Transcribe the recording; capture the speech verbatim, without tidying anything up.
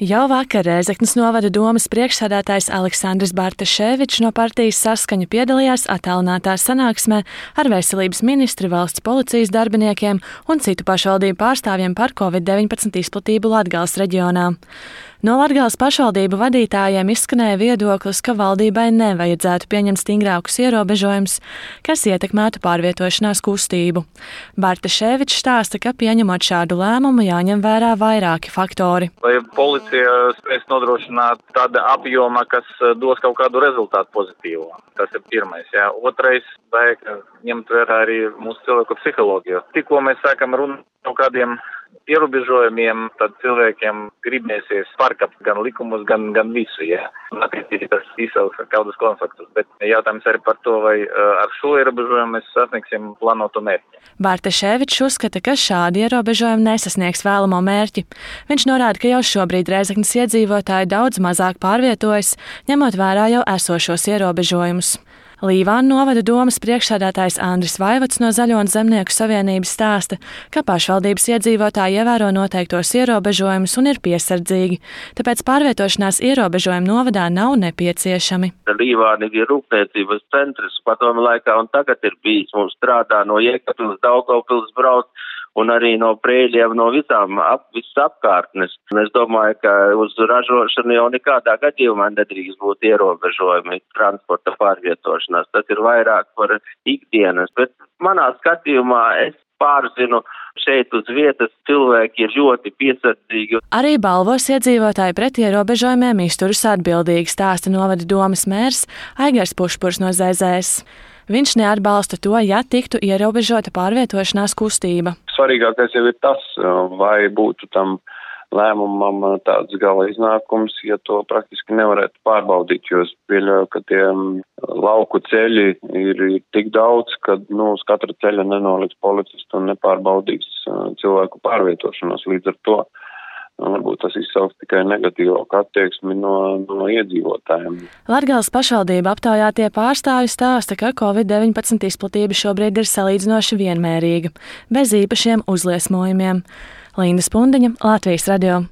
Jau vakar Rēzeknes novada domes priekšsēdētājs Aleksandrs Bartaševičs no partijas Saskaņa piedalījās attālinātā sanāksmē ar veselības ministri, valsts policijas darbiniekiem un citu pašvaldību pārstāvjiem par covid deviņpadsmit izplatību Latgales reģionā. No Latgales pašvaldību vadītājiem izskanēja viedoklis, ka valdībai nevajadzētu pieņemt stingrākus ierobežojumus, kas ietekmētu pārvietošanās kustību. Bartaševičs stāsta, ka pieņemot šādu lēmumu jāņem vērā vairāki faktori. Lai policija spēs nodrošināt tāda apjoma, kas dos kaut kādu rezultātu pozitīvu. Tas ir pirmais. Jā. Otrais, vajag ņemt vērā arī mūsu cilvēku psiholoģiju. Tikko mēs sākam runāt par kādiem ierobežojumiem, tad cilvēkiem gribēsies pārkāpt gan likumus, gan, gan visu, jā. Un attiecīgi tas izsauks kādus konfliktus. Bet jautājums arī par to, vai ar šo ierobežojumu mēs sasniegsim plānotu mērķi. Bartaševičs uzskata, ka šādi ierobežojumi nesasniegs vēlamo mērķi. Viņš norāda, ka jau šobrīd Rēzeknes iedzīvotāji daudz mazāk pārvietojas, ņemot vērā jau esošos ierobežojumus. Līvānu novada domes priekšsēdētājs Andris Vaivods no Zaļo un Zemnieku savienības stāsta, ka pašvaldības iedzīvotāji ievēro noteiktos ierobežojumus un ir piesardzīgi, tāpēc pārvietošanās ierobežojumi novadā nav nepieciešami. Līvāni ir rūpniecības centrs padomu laikā un tagad ir bijis, mums strādā no Jēkabpils, Daugavpils brauc un arī no Prēļiem, no visām ap, visas apkārtnes. Un es domāju, ka uz ražošanu jau nekādā gadījumā nedrīkst būt ierobežojumi transporta pārvietošanās. Tas ir vairāk par ikdienas, bet manā skatījumā es pārzinu, šeit uz vietas cilvēki ir ļoti piesardzīgi. Arī Balvos iedzīvotāji pret ierobežojumiem izturas atbildīgi, stāsta novada domes mērs Aigars Pušpurs no Z Z S. Viņš neatbalsta to, ja tiktu ierobežota pārvietošanās kustība. Svarīgākais jau ir tas, vai būtu tam lēmumam tāds gala iznākums, ja to praktiski nevarētu pārbaudīt, jo es pieļauju, ka tie lauku ceļi ir, ir tik daudz, ka nu, uz katra ceļa nenoliks policistu un nepārbaudīs cilvēku pārvietošanos līdz ar to. Varbūt tas izsauks tikai negatīvu attieksmi no, no iedzīvotājiem. Latgales pašvaldība aptaujātie pārstāvji stāsta, ka covid deviņpadsmit izplatība šobrīd ir salīdzinoši vienmērīga, bez īpašiem uzliesmojumiem. Linda Spundiņa, Latvijas radio.